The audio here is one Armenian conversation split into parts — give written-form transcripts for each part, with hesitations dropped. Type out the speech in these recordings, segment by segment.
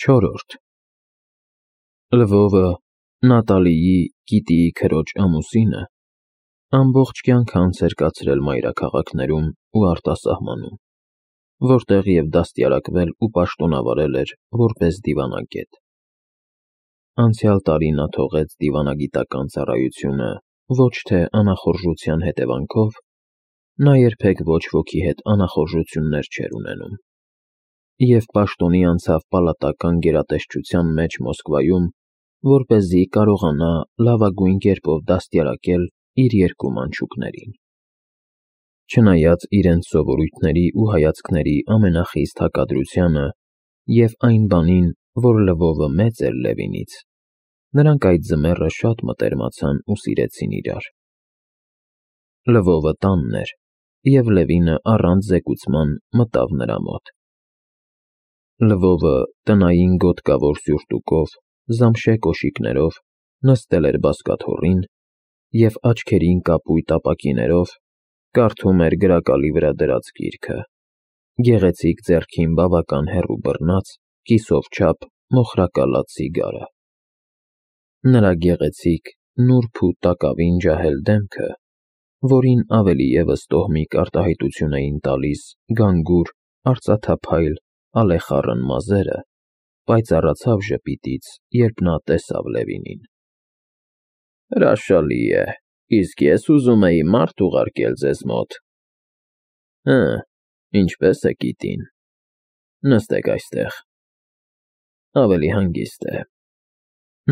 Չորրորդ Լվովը, Նատալիի, Կիտիի քրոջ ամուսինը, ամբողջ կյանքը անց էր կացրել մայրաքաղաքներում ու արտասահմանում, որտեղ և դաստիարակվել ու պաշտոնավարել էր որպես դիվանագետ։ Անցյալ տարի նա թողեց դիվանագիտական ծառայությունը ոչ թե անախորժության հետևանքով, նա երբեք ոչ ոքի հետ անախորժություններ չէր ունենում, և պաշտոնի անցավ պալատական գերատեսչության մեջ Մոսկվայում, որպեսզի կարողանա լավագույն կերպով դաստիարակել իր երկու մանչուկներին։ Չնայած իրենց սովորույթների ու հայացքների ամենախիստ հակադրությանը և այն բանին, որ Լվովը մեծ էր Լևինից, նրանք այդ ձմեռը շատ մտերմացան ու սիրեցին իրար։ Լվովը տանն էր, և Լևինը առանց զեկուցման մտավ նրա մոտ։ Լվովը տնային գոտկավոր սյուրտուկով, զամշե կոշիկներով նստել էր բազկաթոռին և աչքերին կապույտ ապակիներով կարդում էր գրակալի վրա դրած գիրքը, գեղեցիկ ձեռքին բավական հեռու բռնած, կիսով չափ մոխրակալած սիգարը։ Նրա գեղեցիկ, նուրբ ու տակավին ջահել դեմքը, որին ավելի ևս տոհմիկ արտահայտություն էին տալիս գանգուր, արծաթափայլ, ալեխառն մազերը, պայծառացավ ժպիտից, երբ նա տեսավ Լևինին։ Հրաշալի է, իսկ ես ուզում էի մարդ ուղարկել ձեզ մոտ։ Հը, ինչպե՞ս է Կիտին։ Նստեք այստեղ։ Ավելի հանգիստ է։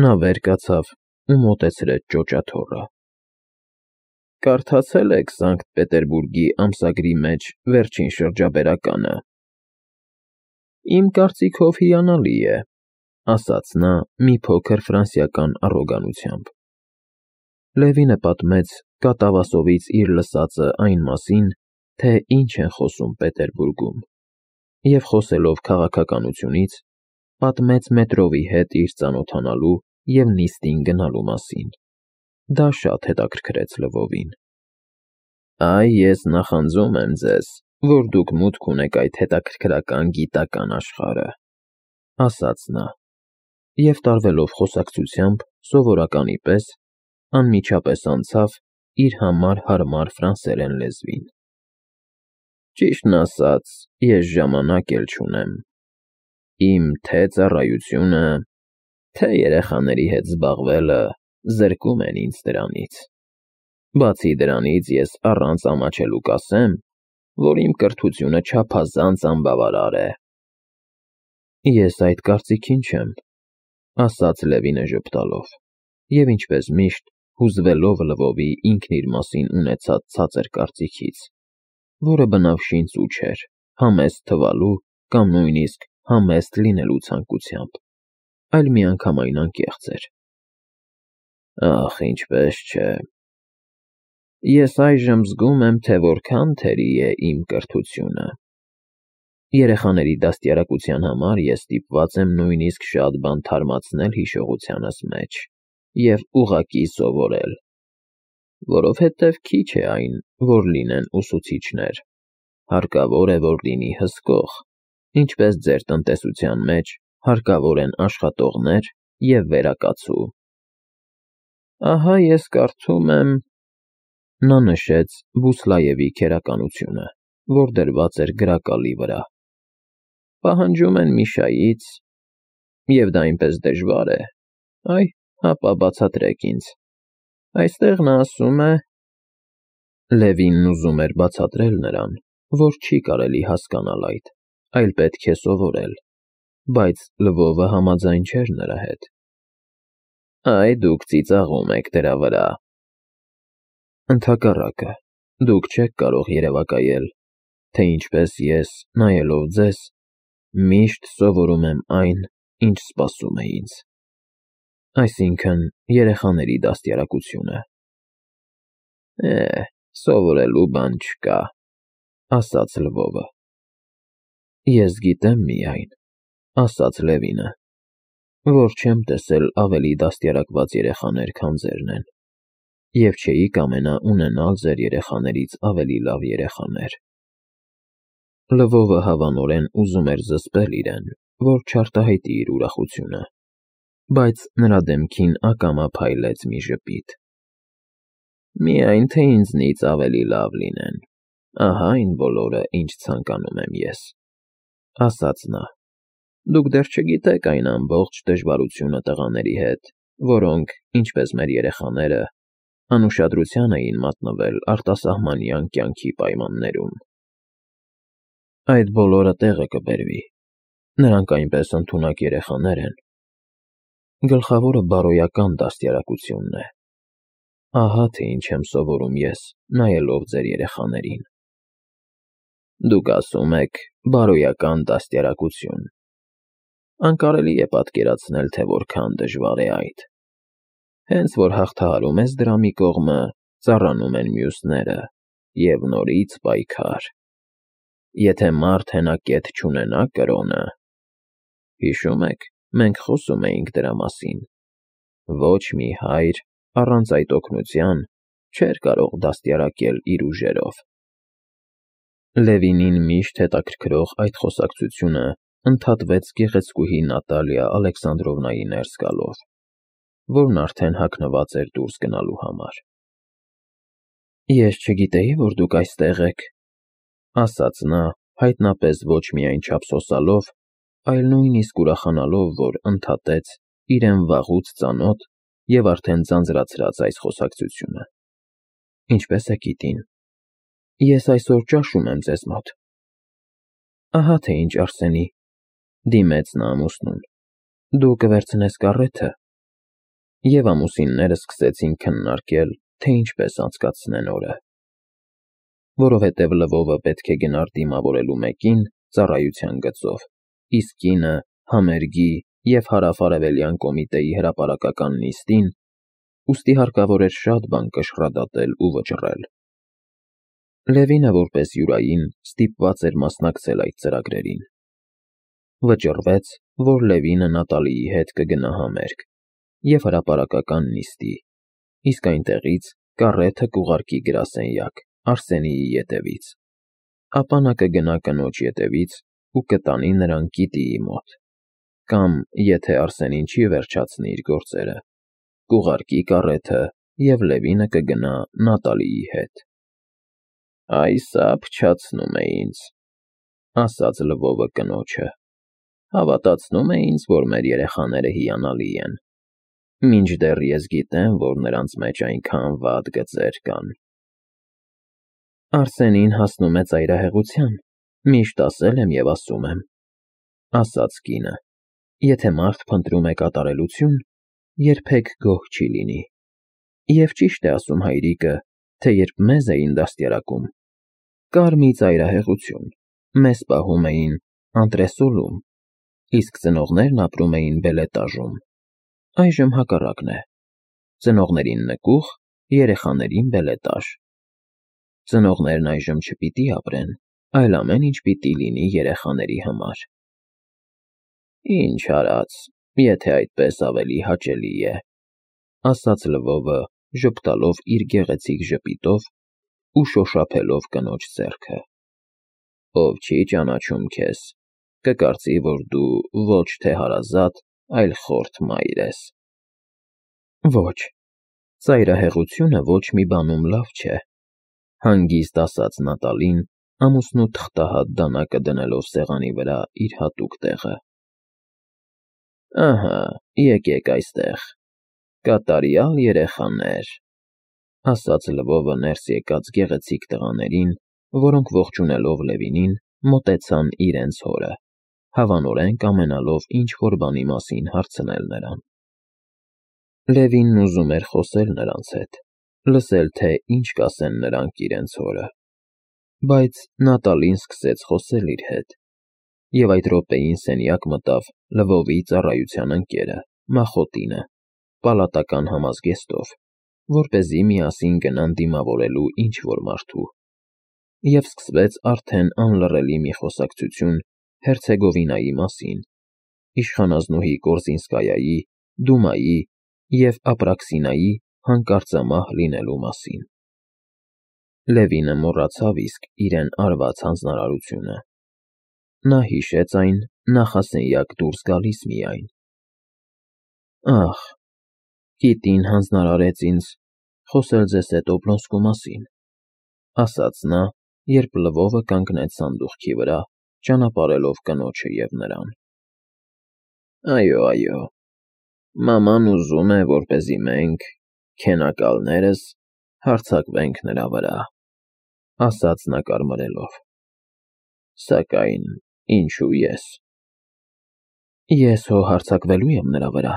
Նա վեր կացավ ու մոտեցրեց ճոճաթոռը։ Կարդացե՞լ եք Սանկտ Պետերբուրգի ամսագրի մեջ վերջին շրջաբերականը։ Իմ կարծիքով հիանալի է, ասաց նա մի փոքր ֆրանսիական առոգանությամբ։ Լևինը պատմեց կատավասովից իր լսածը այն մասին, թե ինչ են խոսում Պետերբուրգում, և խոսելով քաղաքականությունից, պատմեց մետրովի հետ իր ծանոթանալու և նիստին գնալու մասին։ Դա շատ հետաքրքրեց Լվովին։ Այ ես նախանձում եմ ձեզ, որ դուք մուտք ունեք այդ հետաքրքրական գիտական աշխարհը, ասաց նա, և տարվելով խոսակցությամբ սովորականի պես, անմիջապես անցավ իր համար հարմար ֆրանսերեն լեզվին։ Ճիշտն ասած, ես ժամանակ էլ չունեմ։ Իմ թե ծառայությունը, թե երեխաների հետ զբաղվելը զրկում են ինձ դրանից։ Բացի դրանից ես առանց ամաչելու կասեմ, որ իմ կրթությունը չափազանց անբավարար է։ Ես այդ կարծիքին չեմ, ասաց Լևինը ժպտալով, և ինչպես միշտ, հուզվելով Լվովի ինքն իր մասին ունեցած ցածր կարծիքից, որը բնավ շինծու չէր, համեստ թվալու կամ նույնիսկ համեստ լինելու ցանկությամբ, այլ միանգամայն անկեղծ էր։ Ախ, ինչպես չէ։ Ես այժմ զգում եմ, թե որքան թերի է իմ կրթությունը։ Երեխաների դաստիարակության համար ես ստիպված եմ նույնիսկ շատ բան թարմացնել հիշողությանս մեջ և ուղղակի սովորել, որովհետև քիչ է այն, որ լինեն ուսուցիչներ, հարկավոր է, որ լինի հսկող, ինչպես ձեր տնտեսության մեջ հարկավոր են աշխատողներ և վերակացու։ Ահա ես կարդում եմ… Նա նշեց Բուսլաևի քերականությունը, որ դրված էր գրակալի վրա։ Պահանջում են Միշայից, և դա այնպես դժվար է, այ, հապա բացատրեք ինձ։ Այստեղ նա ասում է… Լևինն ուզում էր բացատրել նրան, որ չի կարելի հասկանալ այդ, այլ պետք է սովորել, բայց Լվովը համաձայն չէր նրա հետ։ Այ դուք ծիծաղում եք դրա վրա։ Ընդհակառակը, դուք չեք կարող երևակայել, թե ինչպես ես, նայելով ձեզ, միշտ սովորում եմ այն, ինչ սպասում է ինձ, այսինքն երեխաների դաստիարակությունը։ Սովորելու բան չկա, ասաց Լվովը։ Ես գիտեմ միայն, ասաց Լևինը, որ չեմ տեսել ավելի դաստիարակված երեխաներ, քան ձերն են, և չէի կամենա ունենալ ձեր երեխաներից ավելի լավ երեխաներ։ Լվովը հավանորեն ուզում էր զսպել իրեն, որ չարտահայտի իր ուրախությունը, բայց նրա դեմքին ակամա փայլեց մի ժպիտ։ «Միայն թե ինձնից ավելի լավ լինեն, ահա այն բոլորը, ինչ ցանկանում եմ ես», ասաց նա։ «Դուք դեռ չգիտեք այն ամբողջ դժվարությունը տղաների հետ, որոնք, ինչպես մեր երեխաները, անուշադրության էին մատնվել արտասահմանյան կյանքի պայմաններում։ Այդ բոլորը տեղը կբերվի, նրանք այնպես ընդունակ երեխաներ են։ Գլխավորը բարոյական դաստիարակությունն է։ Ահա թե ինչ եմ սովորում ես, նայելով ձեր երեխաներին»։ Դուք ասում եք բարոյական դաստիարակություն։ Անկարելի է պատկերացնել, թե որքան դժվար է այդ։ Հենց որ հաղթահարում ես դրա մի կողմը, ծառանում են մյուսները, և նորից պայքար։ Եթե մարդ հենակետ չունենա կրոնը… Հիշում եք, մենք խոսում էինք դրա մասին։ Ոչ մի հայր առանց այդ օգնության չէր կարող դաստիարակել իր ուժերով։ Լևինին միշտ հետաքրքրող այդ խոսակցությունը ընդհատվեց գեղեցկուհի Նատալիա Ալեքսանդրովնայի ներս գալով, որն արդեն հագնված էր դուրս գնալու համար։ «Ես չգիտեի, որ դուք այստեղ եք», ասաց նա, հայտնապես ոչ միայն չափսոսալով, այլ նույնիսկ ուրախանալով, որ ընդհատեց իրեն վաղուց ծանոթ և արդեն ձանձրացրած այս խոսակցությունը։ «Ինչպես եք, Կիտին։ Ես այսօր ճաշում եմ ձեզ մոտ»։ «Ահա թե ինչ, Արսենի», դիմեց նա ամուսնուն, «դու կվերցնես կառեթը»։ Եվ ամուսինները սկսեցին քննարկել, թե ինչպես անցկացնեն օրը։ Որովհետև Լվովը պետք է գնար դիմավորելու մեկին ծառայության գծով, իսկ կինը համերգի և հարավ-արևելյան կոմիտեի հրապարակական նիստին, ուստի հարկավոր էր շատ բան կշռադատել ու վճռել։ Լևինը որպես յուրային ստիպված էր մասնակցել այդ ծրագրերին։ Վճռվեց, որ Լևինը Նատալիի հետ կգնա համերգ և հրապարակական նիստի, իսկ այնտեղից կառեթը կուղարկի գրասենյակ Արսենիի ետևից, ապա նա կգնա կնոջ ետևից ու կտանի նրան Կիտիի մոտ, կամ, եթե Արսենին չի վերջացնի իր գործերը, կուղարկի կառեթը և Լևինը կգնա Նատալիի հետ։ «Այ սա փչացնում է ինձ», ասաց Լվովը կնոջը։ «Հավատացնում է ինձ, որ մեր երեխաները հիանալի են, մինչդեռ ես գիտեմ, որ նրանց մեջ այնքան վատ գծեր կան»։ «Արսենին հասնում է ծայրահեղության, միշտ ասել եմ և ասում եմ», ասաց կինը։ «Եթե մարդ փնտրում է կատարելություն, երբեք գոհ չի լինի։ Եվ ճիշտ է ասում հայրիկը, թե երբ մեզ էին դաստիարակում, կար մի ծայրահեղություն, մեզ պահում էին անտրեսոլում, իսկ ծնողներն ապրում էին բելետաժում։ Այժմ հակառակն է. ծնողներին նկուղ, երեխաներին բելետաժ։ Ծնողներն այժմ չպիտի ապրեն, այլ ամեն ինչ պիտի լինի երեխաների համար»։ «Ինչ արած, եթե այդպես ավելի հաճելի է», ասաց Լվովը, ժպտալով իր գեղեցիկ ժպիտով ու շոշափելով կնոջ ձեռքը։ «Ով չի ճանաչում քեզ, կկարծի, որ դու ոչ թե հարազատ, այլ խորթ մայր ես»։ «Ոչ, ծայրահեղությունը ոչ մի բանում լավ չէ», հանգիստ ասաց Նատալին, ամուսնու թղթահատ դանակը դնելով սեղանի վրա իր հատուկ տեղը։ «Ահա, եկեք այստեղ, կատարյալ երեխաներ», ասաց Լվովը ներս եկած գեղեցիկ տղաներին, որոնք ողջունելով Լևինին, մոտեցան իրենց հորը, հավանորեն կամենալով ինչ-որ բանի մասին հարցնել նրան։ Լևինն ուզում էր խոսել նրանց հետ, լսել, թե ինչ կասեն նրանք իրենց հորը։ Բայց Նատալին սկսեց խոսել իր հետ, և այդ րոպեին սենյակ մտավ Լվովի ծառայության ընկերը Մախոտինը, պալատական համազգեստով, որպեսզի միասին գնան դիմավորելու ինչ-որ մարդու։ Եվ սկսվեց արդեն անլռելի մի խոսակցություն Հերցեգովինայի մասին, իշխանազնուհի Կորզինսկայայի, Դումայի և Ապրաքսինայի հանկարծամահ լինելու մասին։ Լևինը մոռացավ իսկ իրեն արված հանձնարարությունը։ Նա հիշեց այն նախասենյակ դուրս գալիս միայն։ Ախ, գիտին հանձնարարեց ինձ խոսել ձեզ հետ Օբլոնսկու մասին, ասաց նա, երբ Լվովը կանգնեց սանդուղքի վրա, ճանապարհելով կնոջը և նրան։ Այո, այո, մաման ուզում է, որպեսզի մենք, քենակալներս, հարձակվենք նրա վրա, ասաց նա կարմրելով։ Սակայն ինչու ես։ Ես հո հարձակվելու եմ նրա վրա,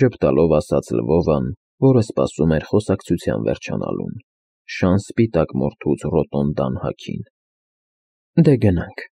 ժպտալով ասաց Լվովն, որը սպասում էր խոսակցության վերջանալուն, շան սպիտակ մորթուց ռոտոնդան հագին։ Դե գնանք։